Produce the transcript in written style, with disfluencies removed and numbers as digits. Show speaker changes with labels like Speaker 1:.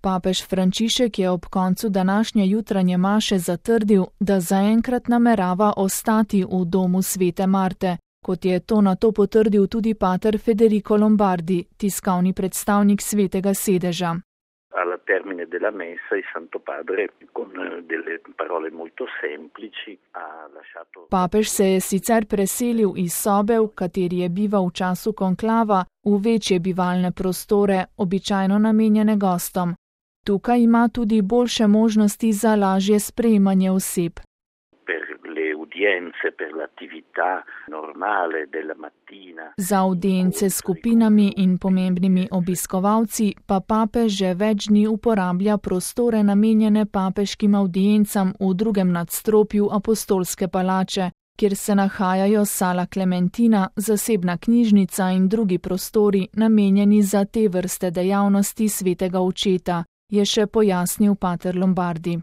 Speaker 1: Papež Frančišek je ob koncu današnje jutranje maše zatrdil, da zaenkrat namerava ostati v domu svete Marte, kot je to nato potrdil tudi pater Federico Lombardi, tiskovni predstavnik svetega sedeža.
Speaker 2: Alla termine della messa il Santo Padre con delle parole molto semplici ha lasciato.
Speaker 1: Papež se je sicer preselil iz sobe, v kateri je bival v času konklava, v večje bivalne prostore, običajno namenjene gostom. Tukaj ima tudi boljše možnosti za lažje sprejemanje oseb. Za audience s skupinami in pomembnimi obiskovalci pa papež že več dni uporablja prostore namenjene papeškim audiencam v drugem nadstropju Apostolske palače, kjer se nahajajo sala Klementina, zasebna knjižnica in drugi prostori namenjeni za te vrste dejavnosti svetega očeta, je še pojasnil pater Lombardi.